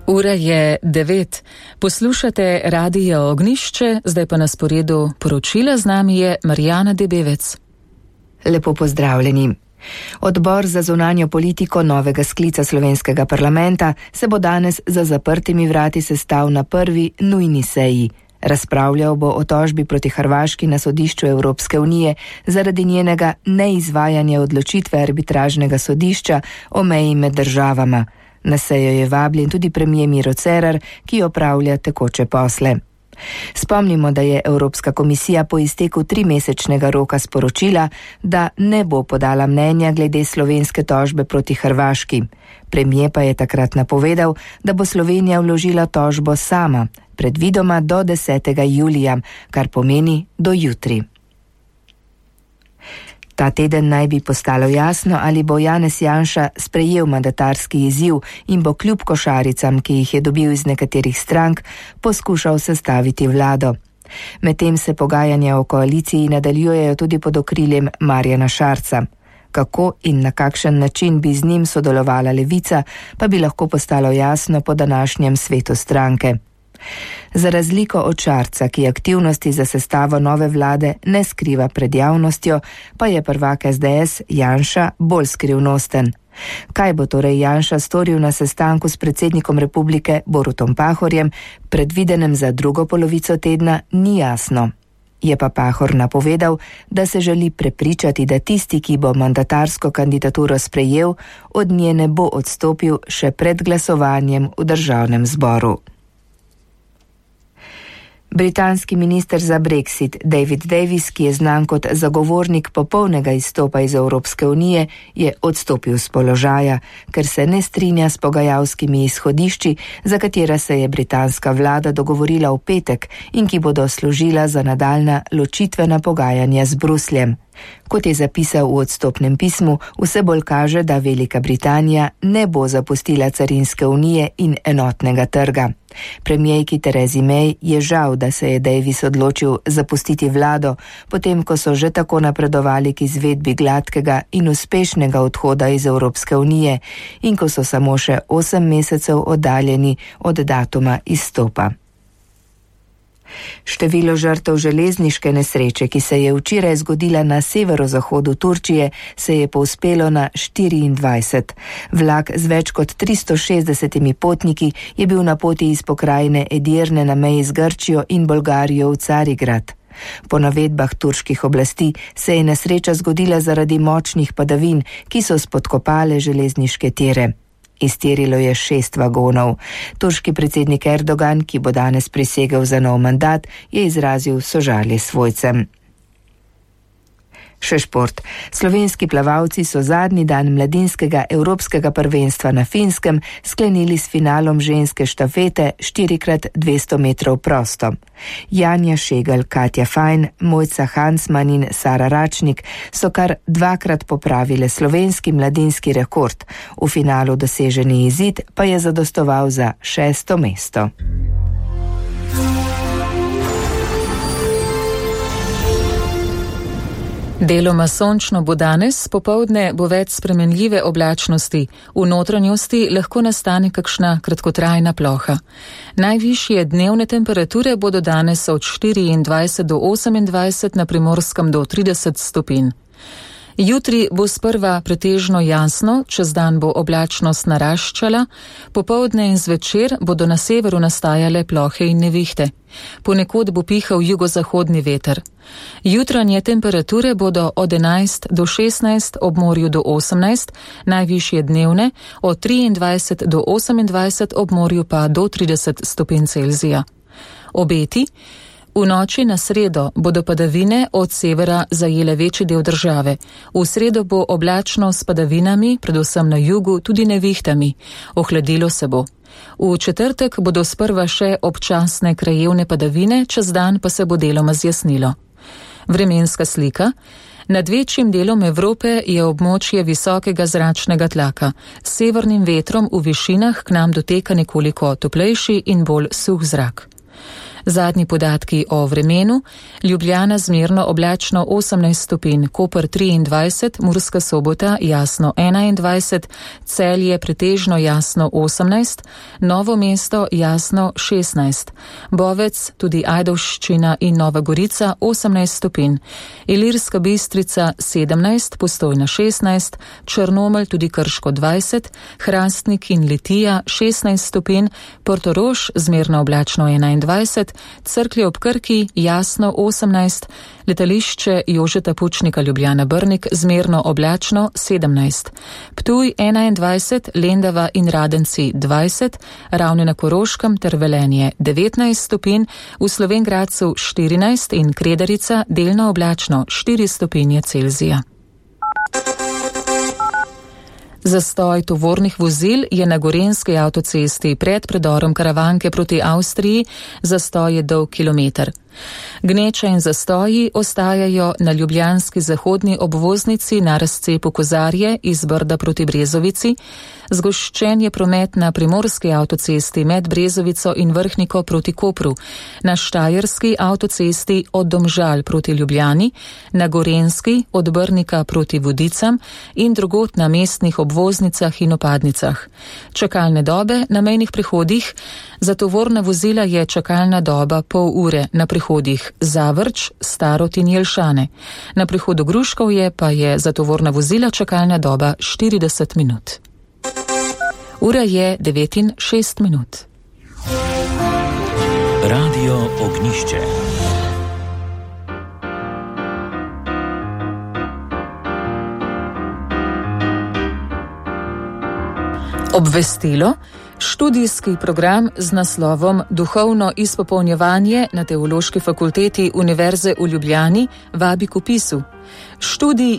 Ura je 9. Poslušate Radio Ognjišče, zdaj pa na sporedu poročila, z nami je Marjana Debevec. Lepo pozdravljeni. Odbor za zunanjo politiko novega sklica slovenskega parlamenta se bo danes za zaprtimi vrati sestal na prvi nujni seji. Razpravljal bo o tožbi proti Hrvaški na sodišču Evropske unije zaradi njenega neizvajanja odločitve arbitražnega sodišča o meji med državama. Na sejo je vabljen tudi premier Miro Cerar, ki opravlja tekoče posle. Spomnimo, da je Evropska komisija po izteku 3-mesečnega roka sporočila, da ne bo podala mnenja glede slovenske tožbe proti Hrvaški. Premier pa je takrat napovedal, da bo Slovenija vložila tožbo sama, predvidoma do 10. julija, kar pomeni do jutri. Ta teden naj bi postalo jasno, ali bo Janez Janša sprejel mandatarski izziv in bo kljub košaricam, ki jih je dobil iz nekaterih strank, poskušal sestaviti vlado. Medtem se pogajanja o koaliciji nadaljujejo tudi pod okriljem Marjana Šarca. Kako in na kakšen način bi z njim sodelovala Levica, pa bi lahko postalo jasno po današnjem svetu stranke. Za razliko od Šarca, ki aktivnosti za sestavo nove vlade ne skriva pred javnostjo, pa je prvak SDS Janša bolj skrivnosten. Kaj bo torej Janša storil na sestanku s predsednikom republike Borutom Pahorjem, predvidenem za drugo polovico tedna, ni jasno. Je pa Pahor napovedal, da se želi prepričati, da tisti, ki bo mandatarsko kandidaturo sprejel, od nje ne bo odstopil še pred glasovanjem v državnem zboru. Britanski minister za Brexit David Davis, ki je znan kot zagovornik popolnega izstopa iz Evropske unije, je odstopil z položaja, ker se ne strinja s pogajalskimi izhodišči, za katera se je britanska vlada dogovorila v petek in ki bodo služila za nadaljnja ločitvena pogajanja z Brusljem. Kot je zapisal v odstopnem pismu, vse bolj kaže, da Velika Britanija ne bo zapustila carinske unije in enotnega trga. Premierki Theresi May je žal, da se je Davis odločil zapustiti vlado, potem ko so že tako napredovali k izvedbi gladkega in uspešnega odhoda iz Evropske unije in ko so samo še 8 mesecev oddaljeni od datuma izstopa. Število žrtev železniške nesreče, ki se je včeraj zgodila na severozahodu Turčije, se je povzpelo na 24. Vlak z več kot 360 potniki je bil na poti iz pokrajine Edirne na meji z Grčijo in Bolgarijo v Carigrad. Po navedbah turških oblasti se je nesreča zgodila zaradi močnih padavin, ki so spodkopale železniške tire. Iztirilo je 6 vagonov. Turški predsednik Erdogan, ki bo danes prisegel za nov mandat, je izrazil sožalje svojcem. Še šport. Slovenski plavalci so zadnji dan mladinskega evropskega prvenstva na Finskem sklenili s finalom ženske štafete 4x200 metrov prosto. Janja Šegel, Katja Fajn, Mojca Hansman in Sara Račnik so kar 2-krat popravile slovenski mladinski rekord. V finalu doseženi izid pa je zadostoval za 6. mesto. Deloma sončno bo danes, popoldne bo več spremenljive oblačnosti. V notranjosti lahko nastane kakšna kratkotrajna ploha. Najvišje dnevne temperature bodo danes od 24 do 28, na Primorskem do 30 stopinj. Jutri bo sprva pretežno jasno, čez dan bo oblačnost naraščala, popoldne in zvečer bodo na severu nastajale plohe in nevihte. Ponekod bo pihal jugozahodni veter. Jutranje temperature bodo od 11 do 16, ob morju do 18, najvišje dnevne od 23 do 28, ob morju pa do 30 stopinj Celzija. Obeti. V noči na sredo bodo padavine od severa zajele večji del države. V sredo bo oblačno s padavinami, predvsem na jugu, tudi nevihtami. Ohladilo se bo. V četrtek bodo sprva še občasne krajevne padavine, čez dan pa se bo deloma zjasnilo. Vremenska slika. Nad večjim delom Evrope je območje visokega zračnega tlaka. S severnim vetrom v višinah k nam doteka nekoliko toplejši in bolj suh zrak. Zadnji podatki o vremenu: Ljubljana zmerno oblačno 18 stopinj, Koper 23, Murska Sobota jasno 21, Celje pretežno jasno 18, Novo mesto jasno 16, Bovec, tudi Ajdovščina in Nova Gorica 18 stopinj, Ilirska Bistrica 17, Postojna 16, Črnomelj, tudi Krško 20, Hrastnik in Litija 16 stopinj, Portorož zmerno oblačno 21, Cerklje ob Krki jasno 18, letališče Jožeta Pučnika Ljubljana Brnik zmerno oblačno 17, Ptuj 21, Lendava in Radenci 20, Ravne na Koroškem ter Velenje 19 stopinj, v Slovenj Gradcu 14 in Kredarica delno oblačno 4 stopinje Celzija. Zastoj tovornih vozil je na gorenjski avtocesti pred predorom Karavanke proti Avstriji, zastoj je dolg kilometer. Gneča in zastoji ostajajo na ljubljanski zahodni obvoznici na razcepu Kozarje iz Brda proti Brezovici, zgoščen je promet na primorski avtocesti med Brezovico in Vrhniko proti Kopru, na štajerski avtocesti od Domžal proti Ljubljani, na gorenjski od Brnika proti Vodicam in drugot na mestnih obvoznicah in opadnicah. Čakalne dobe na mejnih prehodih: za tovorna vozila je čakalna doba pol ure na prehodih Zavrč, Starod in Jelšane. Na prehodu Gruškovje pa je za tovorna vozila čakalna doba 40 minut. Ura je 9:06. Radio Ognjišče. Obvestilo: študijski program z naslovom Duhovno izpopolnjevanje na Teološki fakulteti Univerze v Ljubljani vabi k vpisu. Študij